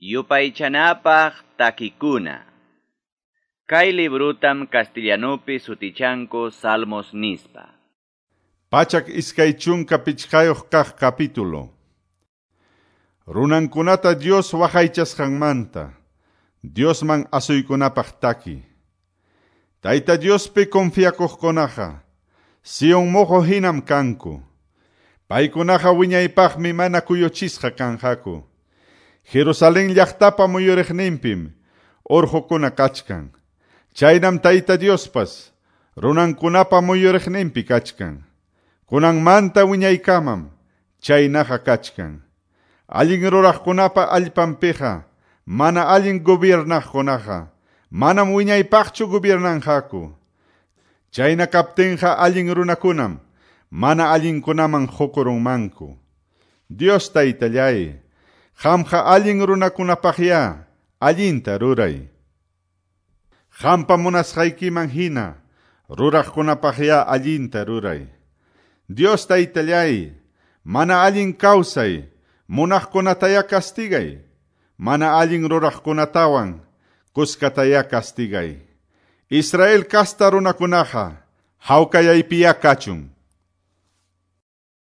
Yupaychanapaq takikuna. Kay librutam castellanupi sutichanku Salmos nispa. 125 kaq capítulo. Runankunata Dios waqaychasqanmanta, Diosman asuykunapaq taki. Tayta Diospi confiakuqkunaqa, Sion moqo hinam kanku. Paykunaqa wiñaypaqmi mana kuyuchisqa kanqaku. Jerusalén llaqtapa muyuriqninpim urqukuna kachkan. Chaynam Tayta Diospas runankunapa muyuriqninpi kachkan. Kunanmanta wiñaykamam chaynaqa kachkan. Allin ruraqkunapa allpanpiqa mana allin gobiernaqkunaqa manam wiñaypaqchu gobiernanqaku. Chayna kaptinqa allin runakunam mana allinkunaman qukurunmanku. Dios Taytallay, qamqa allin runakunapaqya allinta ruray. Qampa munasqaykiman hina ruraqkunapaqya allinta ruray. Dios Taytallay, mana allin kawsay munaqkunataya castigay, mana allin ruraqkunatawan kuskataya castigay. Israel kasta runakunaqa hawkayaypiya kachun.